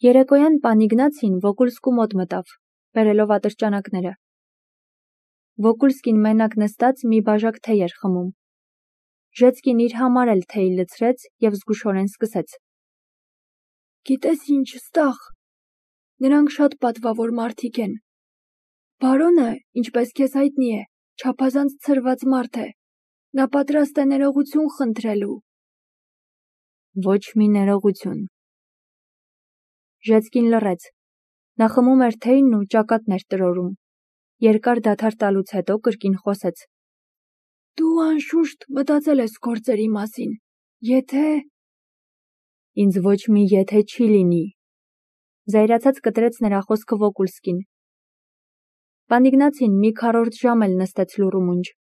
Երեկոյան պան Իգնացին Վոկուլսկու մոտ մտավ, բերելով ատրճանակները։ Վոկուլսկին մենակ նստած մի բաժակ թեյ էր խմում։ Ժեցկին իր համար էլ թեյ լցրեց և զգուշորեն սկսեց. Գիտես ինչ, ստախ, նրանք շատ պատվավոր մարդիկ են։ Բարոնը, ինչպես քեզ հայտնի է, չափազանց ցրված մարդ է։ Նա պատրաստ է ներողություն խնդրելու։ Ոչ մի ներողություն։ Ժեցկին լռեց։ Նա խմում էր թեյն ու ճակատն էր տրորում։ Երկար դադար տալուց հետո կրկին խոսեց. Դու անշուշտ մտածել ես գործերի մասին, եթե… Ինձ ոչ մի եթե չի լինի։ Զայրացած կտրեց նրա խոսքը Վոկուլսկին։ Պան Իգնացին մի քառորդ ժամ էլ նստեց լուռ ու մունջ։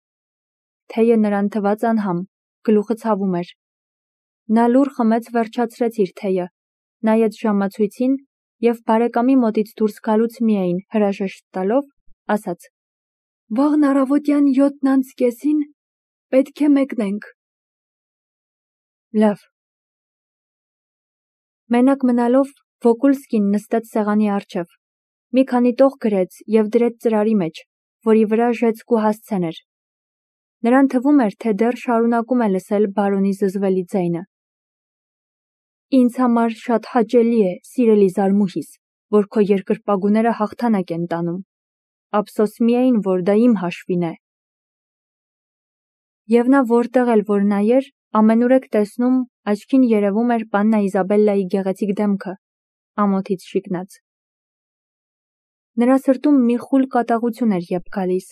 Թեյը նրան թվաց անհամ, գլուխը ցավում էր։ Նա լուռ խմեց, վերջացրեց իր թեյը, նայեց ժամացույցին և բարեկամի մոտից դուրս գալուց միայն հրաժեշտ տալով, ասաց. Վաղն առավոտյան 7:30 պետք է մեկնենք։ Լավ։ Մենակ մնալով Վոկուլսկին նստեց սեղանի առջև, մի քանի տող գրեց և դրեց ծրարի մեջ, որի վրա Ժեցկու հասցեն էր։ Նրան թվում էր, թե դեռ շարունակում է լսել բարոնի զզվելի ձայնը։ Ինձ համար շատ հաճելի է, սիրելի զարմուհիս, որ քո երկրպագուները հաղթանակ են տանում։ Ափսոս միայն, որ դա իմ հաշվին է։ Եվ նա որտեղ էլ որ նայեր, ամենուրեք տեսնում, աչքին երևում էր պաննա Իզաբելլայի գեղեցիկ դեմքը, ամոթից շիկնած։ Նրա սրտում մի խուլ կատաղություն էր ետ գալիս։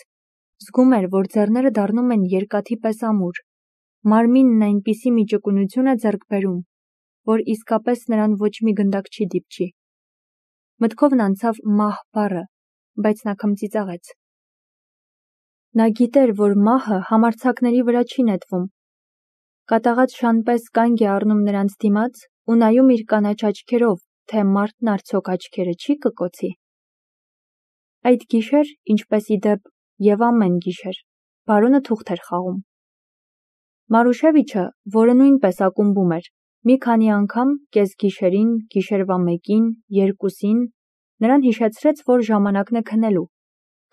Զգում էր, որ ձեռները դառնում են երկաթի պես ամուր, մարմինն այնպիսի մի ճկունություն է ձեռք բերում, որ իսկապես նրան ոչ մի գնդակ չի դիպչի։ Մտքովն անցավ մահ բառը, բայց նա քմծիծաղեց։ Նա գիտեր, որ մահը համարձակների վրա չի նետվում։ Կատաղած շան պես կանգ է առնում նրանց դիմաց ու նայում իր կանաչ աչքերով, թե մարդն արդյոք աչքերը չի կկոցի։ Այդ գիշեր, ինչպես ի դեպ և ամեն գիշեր, բարոնը թուղթ էր խաղում։ Մարուշևիչը, որը նույնպես ակումբում էր, մի քանի անգամ կեսգիշերին, գիշերվա 1-ին, 2-ին նրան հիշեցրեց, որ ժամանակն է քնելու,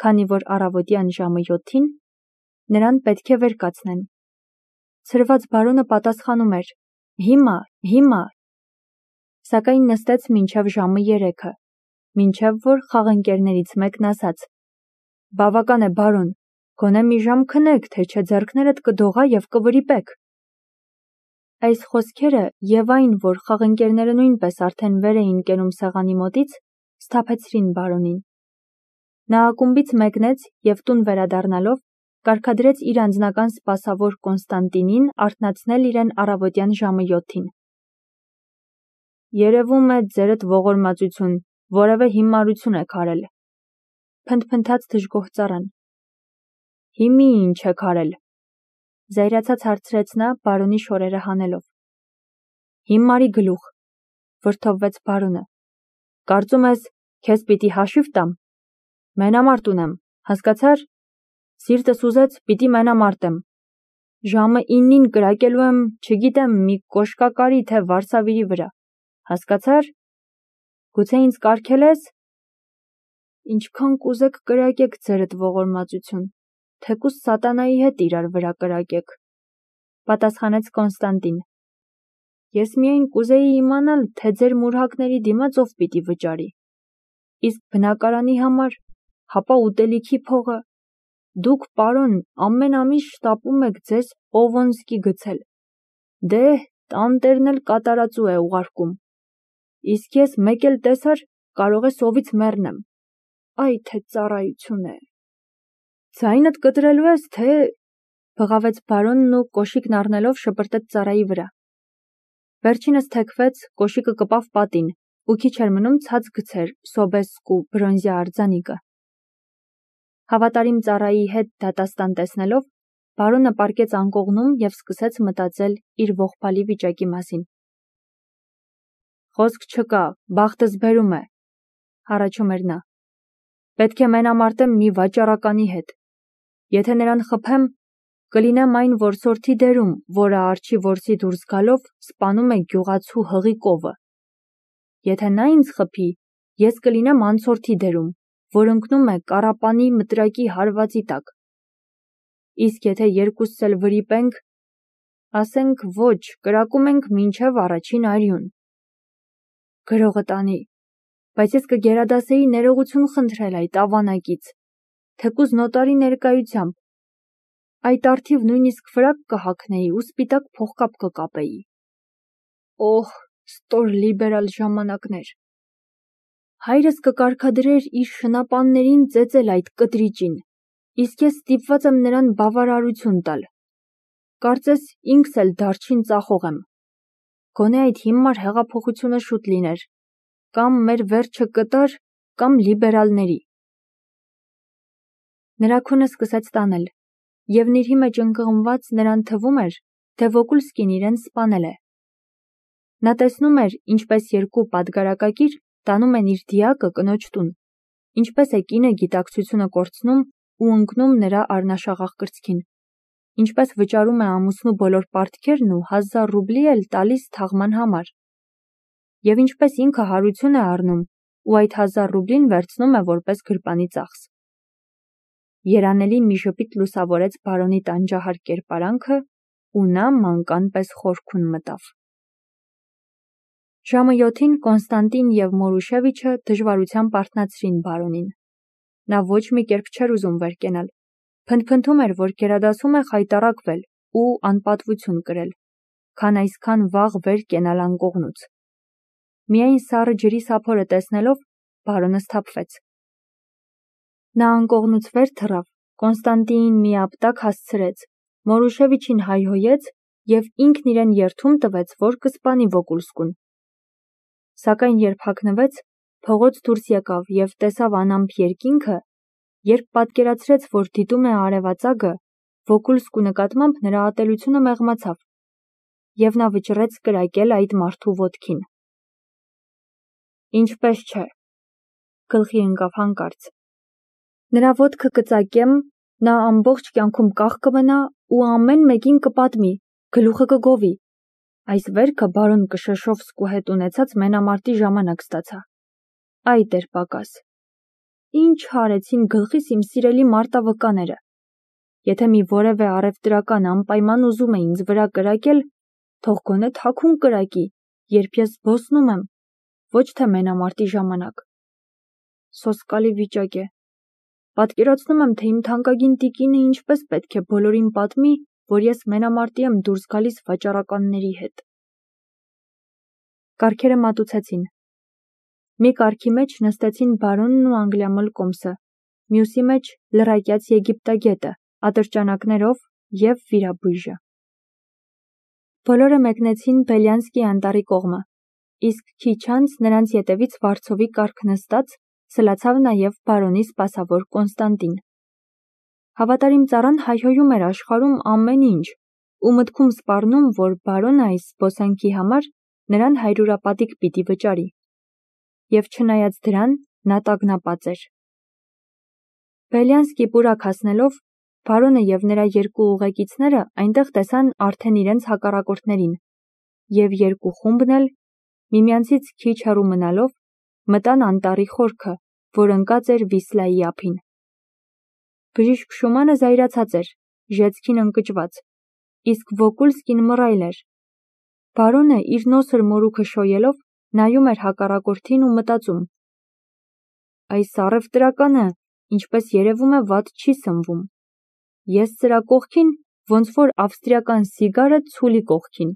քանի որ առավոտյան ժամը 7-ին նրան պետք է վեր կացնեն։ Ցրված բարոնը պատասխանում էր. Հիմա։ Սակայն նստեց մինչև ժամը 3-ը, մինչև որ խաղընկերներից մեկն ասաց. Բավական է, բարոն, գոնե մի ժամ քնեք, թե չէ ձեռքներդ կդողա և կվրիպեք։ Այս խոսքերը և այն, որ խաղընկերները նույնպես արդեն վեր էին կենում սեղանի մոտից, սթափեցրին բարոնին։ Նա ակումբից մեկնեց և տուն վերադառնալով կարգադրեց իր անձնական սպասավոր Կոնստանտինին արթնացնել իրեն առավոտյան ժամը 7-ին։ Երևում է ձերդ ողորմածություն, որևէ հիմարություն եք արել, փնթփնթաց դժգոհ ծառան։ Հիմի ինչ եք արել, զայրացած հարցրեց նա բարոնի շորերը հանելով։ Հիմարի գլուխ, վրդովվեց բարոնը։ Կարծում ես, քեզ պիտի հաշիվ տամ։ Մենամարտ ունեմ, հասկացար։ Սիրտս ուզեց, պիտի մենամարտեմ։ Ժամը 9-ին կրակելու եմ, չգիտեմ, մի կոշկակարի թե վարսավիրի վրա, հասկացար։ Գուցե ինձ կարգել ես։ Ինչքան կուզեք կրակեք ձերդ ողորմածություն, թեկուզ սատանայի հետ իրար վրա կրակեք, պատասխանեց Կոնստանտին։ Ես միայն կուզեի իմանալ, թե ձեր մուրհակների դիմաց ով պիտի վճարի։ Իսկ բնակարանի համար, հապա ուտելիքի փողը։ Դուք, պարոն, ամեն ամիս շտապում եք ձեզ Օվոնսկի գցել։ Դե, տանտերն էլ կատարածու է ուղարկում։ Իսկ ես մեկ էլ տեսար, կարող է սովից մեռնեմ։ Այ թե ծառայություն է։ Ձայնդ կտրելու ես, թե… Բղավեց բարոնն ու կոշիկն առնելով շպրտեց ծառայի վրա։ Վերջինս թեքվեց, կոշիկը կպավ պատին ու քիչ էր մնում ցած գցեր Սոբեսկու բրոնզյա արձանիկը։ Հավատարիմ ծառայի հետ դատաստան տեսնելով, բարոնը պառկեց անկողնում և սկսեց մտածել իր ողբալի վիճակի մասին։ Խոսք չկա, բախտս բերում է, հառաչում էր նա։ Պետք է մենամարտեմ մի վաճառականի հետ։ Եթե նրան խփեմ, կլինեմ այն որսորդի դերում, որը արջի որսի դուրս գալով սպանում է գյուղացու հղի կովը։ Եթե նա ինձ խփի, ես կլինեմ անցորդի դերում, որ ընկնում է կարապանի մտրակի հարվածի տակ։ Իսկ եթե երկուսս էլ վրիպենք, ասենք ոչ, կրակում ենք մինչև առաջին արյուն։ Գրողը տանի, բայց ես կգերադասեի ներողություն խնդրել այդ ավանակից, թեկուզ նոտարի ներկայությամբ։ Այդ արդիվ նույնիսկ վրակ կհագնեի ու սպիտակ փողկապ կկապեի։ Օհ, ստոր լիբերալ ժամանակներ։ Հայրս կկարգադրեր իր շնապաններին ծեծել այդ կտրիճին, իսկ ես ստիպված եմ նրան բավարարություն տալ։ Կարծես ինքս էլ դարչին ծախող եմ։ Գոնե այդ հիմար հեղափոխությունը շուտ լիներ, կամ մեր վերջը կտար, կամ լիբերալների։ Նրա քունը սկսեց տանել, եւ նիրհի մեջ ընկղմված նրան թվում էր, թե Վոկուլսկին իրեն սպանել է։ Նա տեսնում էր, ինչպես երկու պատգարակակիր տանում են իր դիակը կնոջ տուն, ինչպես է կինը գիտակցությունը կորցնում ու ընկնում նրա առնաշաղախ կրծքին, ինչպես վճարում է ամուսնու բոլոր պարտքերն ու 1000 ռուբլի էլ տալիս թաղման համար, եւ ինչպես ինքը հարություն է առնում ու այդ 1000 ռուբլին վերցնում է որպես գրպանի ծախս։ Երանելի մի ժպիտ լուսավորեց բարոնի տանջահար կերպարանքը ու նա մանկան պես խորքուն մտավ։ Ժամը 7-ին Կոնստանտին և Մորուշևիչը դժվարությամբ արթնացրին բարոնին։ Նա ոչ մի կերպ չէր ուզում վեր կենալ, փնթփնթում էր, որ գերադասում է խայտառակվել ու անպատվություն կրել, քան այսքան վաղ վեր կենալ անկողնուց։ Միայն սառը ջրի սափորը տեսնելով բարոնը սթափվեց։ Նա անկողնուց վեր թռավ, Կոնստանտինին մի ապտակ հասցրեց, Մորուշևիչին հայհոյեց և ինքն իրեն երդում տվեց, որ կսպանի Վոկուլսկուն։ Սակայն երբ հագնվեց, փողոց դուրս եկավ և տեսավ անամպ երկինքը, երբ պատկերացրեց, որ դիտում է արևածագը, Վոկուլսկու նկատմամբ նրա ատելությունը մեղմացավ, և նա վճռեց կրակել այդ մարդու ոտքին։ Ինչպես չէ, գլխի ընկավ հանկարծ։ Նրա ոտքը կծակեմ, նա ամբողջ կյանքում կախ կմնա ու ամեն մեկին կպատմի, գլուխը կգովի։ Այս վերքը բարոն Կշեշովսկու հետ ունեցած մենամարտի ժամանակ ստացա։ Այ դեր պակաս։ Ինչ արեցին գլխիս իմ սիրելի մարտավկաները։ Եթե մի որևէ առևտրական անպայման ուզում է ինձ վրա կրակել, թող գոնե թաքուն կրակի, երբ ես զբոսնում եմ, ոչ թե մենամարտի ժամանակ։ Սոսկալի վիճակ է։ Պատկերացնում եմ, թե իմ թանկագին տիկինը ինչպես պետք է բոլորին պատմի, որ ես մենամարտի եմ դուրս գալիս վաճառականների հետ։ Կառքերը մատուցեցին։ Մի կառքի մեջ նստեցին բարոնն ու անգլիամոլ կոմսը, մյուսի մեջ լռակյաց եգիպտագետը, ատրճանակներով և վիրաբույժը։ Բոլորը մեկնեցին Բելյանսկի անտառի կողմը, իսկ քիչ անց նրանց ետևից վարձովի կառք նստած սլացավ նաև բարոնի սպասավոր Կոնստանտին։ Հավատարիմ ծառան հայհոյում էր աշխարհում ամեն ինչ ու մտքում սպառնում, որ բարոնը այս զբոսանքի համար նրան հայրուրապատիկ պիտի վճարի։ Եվ չնայած դրան, նա տագնապած էր։ Բելյանսկի պուրակ հասնելով, բարոնը և նրա երկու ուղեկիցները այնտեղ տեսան արդեն իրենց հակառակորդներին, և երկու խումբն էլ, միմյանցից քիչ հեռու մնալով, մտան անտառի խորքը, որ ընկած էր Վիսլայի ափին։ Բժիշկ Շումանը զայրացած էր, ժեցքին ընկճված, իսկ Վոկուլսկին մռայլ էր։ Բարոնը իր նոսր մորուքը շոյելով նայում էր հակառակորդին ու մտածում. այս առևտրականը, ինչպես երևում է, վատ չի սնվում։ Ես սրա կողքին, ոնց որ ավստրիական սիգարը ցուլի կողքին։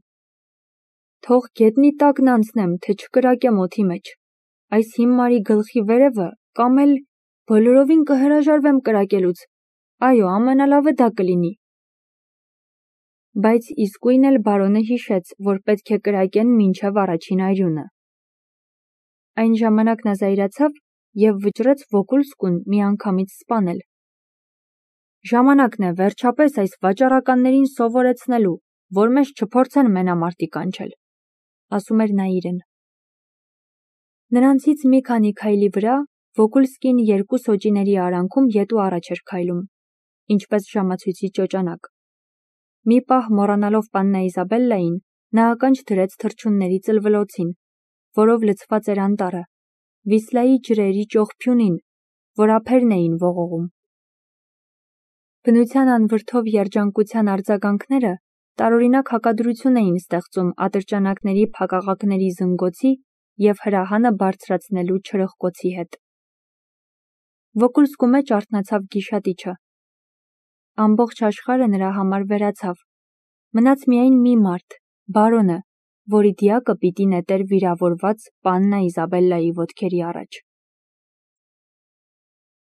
Թող գետնի տակն անցնեմ, թե չկրակեմ օդի մեջ։ Այս հիմարի գլխի վերևը կամ էլ բոլորովին կհրաժարվեմ կրակելուց։ Այո, ամենալավը դա կլինի։ Բայց իսկույն էլ բարոնը հիշեց, որ պետք է կրակեն մինչև առաջին արյունը։ Այն ժամանակ նա զայրացավ և վճռեց Վոկուլսկուն միանգամից սպանել։ Ժամանակն է վերջապես այս վաճառականներին սովորեցնելու, որ մեզ չփորձեն մենամարտի կանչել, ասում էր նա իրեն։ Նրանցից մի քանի քայլի վրա Վոկուլսկին երկու սոճիների արանքում ետու առաջ էր քայլում, ինչպես ժամացույցի ճոճանակ։ Մի պահ մոռանալով պաննա Իզաբելլային, նա ականջ դրեց թռչունների ծլվլոցին, որով լցված էր անտառը, Վիսլայի ջրերի ճողփյունին, որ ափերն էին ողողում։ Բնության անվրդով երջանկության արձագանքները տարօրինակ հակադրություն էին ստեղծում ատրճանակների փակաղակների զնգոցի և հրահանը բարձրացնելու չրխկոցի հետ։ Վոկուլսկու մեջ արթնացավ գիշատիչը։ Ամբողջ աշխարհը նրա համար վերացավ։ Մնաց միայն մի մարդ, բարոնը, որի դիակը պիտի նետեր վիրավորված պաննա Իզաբելլայի ոտքերի առաջ։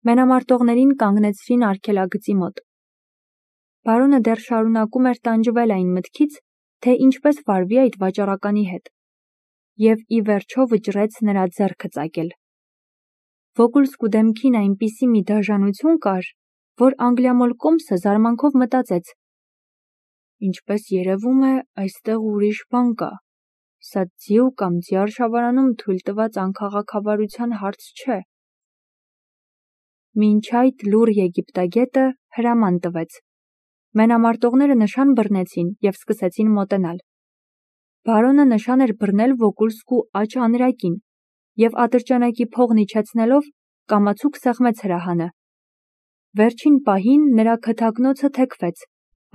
Մենամարտողներին կանգնեցրին արգելագծի մոտ։ Բարոնը դեռ շարունակում էր տանջվել այն մտքից, թե ինչպես վարվի այդ վաճառականի հետ, և ի վերջո վճռեց նրա ձեռքը ծակել։ Վոկուլսկու դեմքին այնպիսի մի դաժանություն կար, որ անգլիամոլ զարմանքով մտածեց. ինչպես երևում է, այստեղ ուրիշ բան կա, սա ձիու կամ ձիարշավարանում թույլ տված անքաղաքավարության հարց չէ։ Մինչ այդ լուռ եգիպտագետը հրաման տվեց։ Մենամարտողները նշան բռնեցին և սկսեցին մոտենալ։ Բարոնը նշան էր բռնել Վոկուլսկու աջ անրակին և ատրճանակի փողն իջեցնելով կամացուկ սեղմեց հրահանը։ Վերջին պահին նրա քթակնոցը թեքվեց,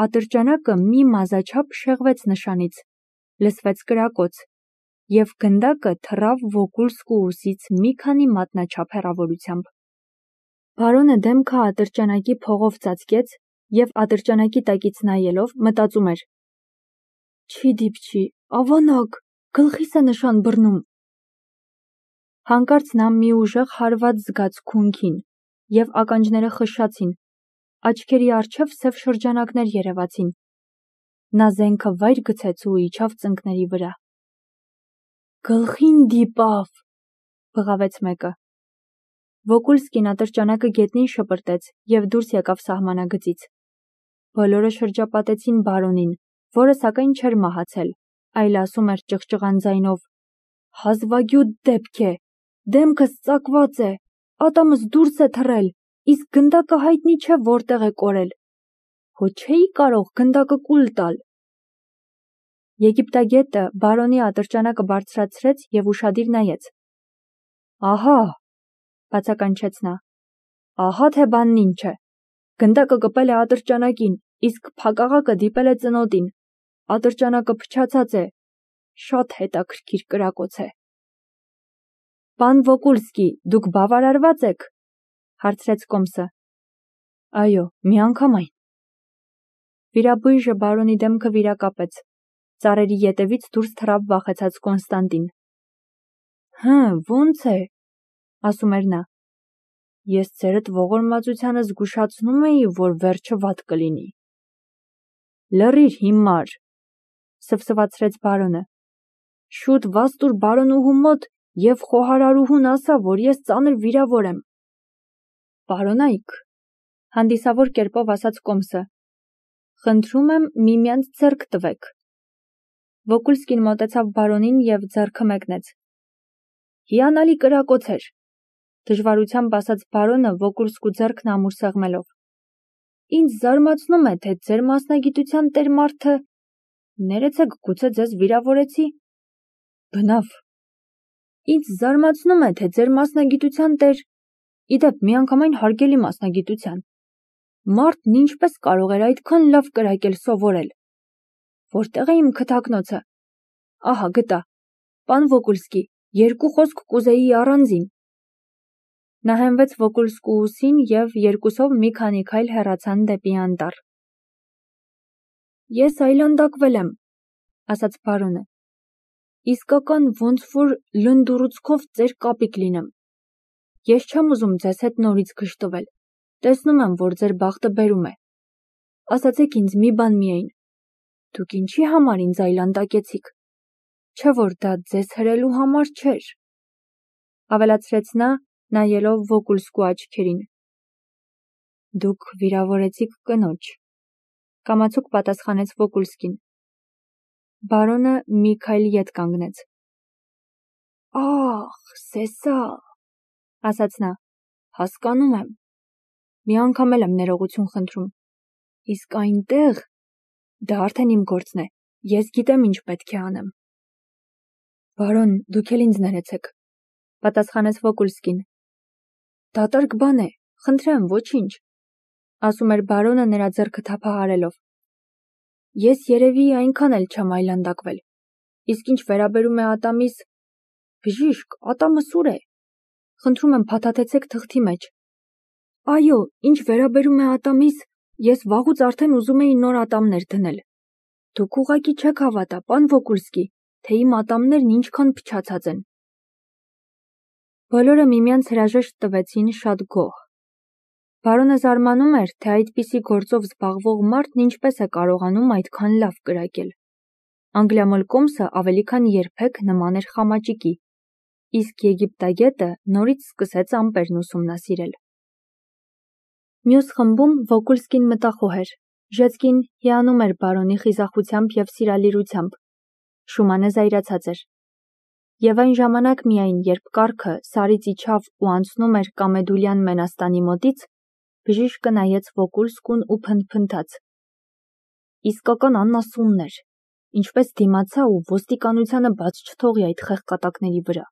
ատրճանակը մի մազաչափ շեղվեց նշանից, լսվեց կրակոց, և գնդակը թռավ Վոկուլսկու ուսից մի քանի մատնաչափ հեռավորությամբ։ Բարոնը դեմքը ատրճանակի փողով ծածկեց և ատրճանակի տակից նայելով մտածում էր. «Չի դիպչի, ավանակ, գլխիս է նշան բռնում»։ Հանկարծ նա մի ուժեղ հարված զգաց քունքին, և ականջները խշշացին, աչքերի առջև սև շրջանակներ երևացին։ Նա զենքը վայր գցեց ու իջավ ծնկների վրա։ «Գլխին դիպավ», բղավեց մեկը։ Վոկուլսկին ատրճանակը գետնին շպրտեց և դուրս եկավ սահմանագծից։ Բոլորը շրջապատեցին բարոնին, որը սակայն չէր մահացել, այլ ասում էր ճղճղան ձայնով. «Հազվագյուտ դեպք է, դեմքս ծակված է, ատամս դուրս է թռել, իսկ գնդակը հայտնի չէ որտեղ է կորել։ Հո չէի կարող գնդակը կուլ տալ»։ Եգիպտագետը բարոնի ատրճանակը բարձրացրեց և ուշադիր նայեց։ «Ահա», բացականչեց նա, «ահա թե բանն ինչ է։ Գնդակը կպել է ատրճանակին, իսկ փակաղակը դիպել է ծնոտին։ Ատրճանակը փչացած է։ Շատ հետաքրքիր կրակոց է»։ «Պան Վոկուլսկի, դուք բավարարվա՞ծ եք», հարցրեց կոմսը։ «Այո, միանգամայն»։ Վիրաբույժը բարոնի դեմքը վիրակապեց։ Ծառերի ետևից դուրս թռավ վախեցած Կոնստանտին։ Ոնց է, ասում էր նա։ Ես ձերդ ողորմածությանը զգուշացնում էի, որ վերջը վատ կլինի։ Լռիր հիմար, սվսվացրեց բարոնը։ Շուտ վազ տուր բարոնուհու մոտ և խոհարարուհուն ասա, որ ես ծանր վիրավոր եմ։ Բարոնայք, հանդիսավոր կերպով ասաց կոմսը, խնդրում եմ միմյանց ձեռք տվեք։ Վոկուլսկին մոտեցավ բարոնին և ձեռքը մեկնեց։ Հիանալի կրակոց էր, դժվարությամբ ասաց բարոնը Վոկուլսկու ձեռքն ամուր սեղմելով։ Ինձ զարմացնում է, թե ձեր մասնագիտության տեր մարդը… Ներեցեք, գուցե ձեզ վիրավորեցի։ Բնավ։ Ինձ զարմացնում է, թե ձեր մասնագիտության տեր… Իդեպ, միանգամայն հարգելի մասնագիտության։ Մարդն ինչպես կարող էր այդքան լավ կրակել սովորել։ Որտեղ է իմ քթակնոցը։ Ահա գտա։ Պան Վոկուլսկի, երկու խոսք կուզեի առանձին։ Նա հենվեց Վոկուլսկու ուսին և երկուսով մի քանի քայլ հեռացան դեպի անտառ։ Ես այլանդակվել եմ, ասաց բարոնը։ Իսկական ոնց որ լնդուռուցքով ծեր կապիկ լինեմ։ Ես չեմ ուզում ձեզ հետ նորից գժտվել։ Տեսնում եմ, որ ձեր բախտը բերում է։ Ասացեք ինձ մի բան միայն։ Դուք ինչի համար ինձ այլանդակեցիք։ Չէ որ դա ձեզ հրելու համար չէր, ավելացրեց նա, նայելով Վոկուլսկու աչքերին։ Դուք վիրավորեցիք կնոջ, կամացուկ պատասխանեց Վոկուլսկին։ Բարոնը մի քայլ ետ կանգնեց։ Ախ, սեսա, ասաց նա, հասկանում եմ։ Մի անգամ էլ եմ ներողություն խնդրում։ Իսկ այնտեղ, դա արդեն իմ գործն է, ես գիտեմ ինչ պետք է անեմ։ Բարոն, դուք էլ ինձ ներեցեք, պատասխանեց Վոկուլսկին։ Դատարկ բան է, խնդրեմ, ոչինչ, ասում էր բարոնը նրա ձեռքը թափահարելով։ Ես երևի այնքան էլ չեմ այլանդակվել։ Իսկ ինչ վերաբերում է ատամիս, բժիշկ, ատամը սուր է։ Խնդրում եմ փաթաթեցեք թղթի մեջ։ Այո, ինչ վերաբերում է ատամիս, ես վաղուց արդեն ուզում էի նոր ատամներ դնել։ Դուք ուղղակի չեք հավատա, պան Վոկուլսկի, թե իմ ատամներն ինչքան փչացած են։ Բոլորը միմյանց հրաժեշտ տվեցին շատ գոհ։ Բարոնը զարմանում էր, թե այդպիսի գործով զբաղվող մարդն ինչպես է կարողանում այդքան լավ կրակել։ Անգլիամոլկոմսը ավելի քան երբեք նման էր խամաճիկի, իսկ եգիպտագետը նորից սկսեց ամպերն ուսումնասիրել։ Մյուս խմբում Վոկուլսկին մտախոհ էր, Ժեցկին հիանում էր բարոնի խիզախությամբ և սիրալիրությամբ, Շումանը զայրացած էր։ Եվ այն ժամանակ միայն, երբ կառքը սարից իջավ ու անցնում էր Կամեդուլյան մենաստանի մոտից, բժիշկը նայեց Վոկուլսկուն ու փնթփնթաց. իսկական անասուններ, ինչպես դիմացա ու ոստիկանությանը բաց չթողի այդ խեղկատակների վրա։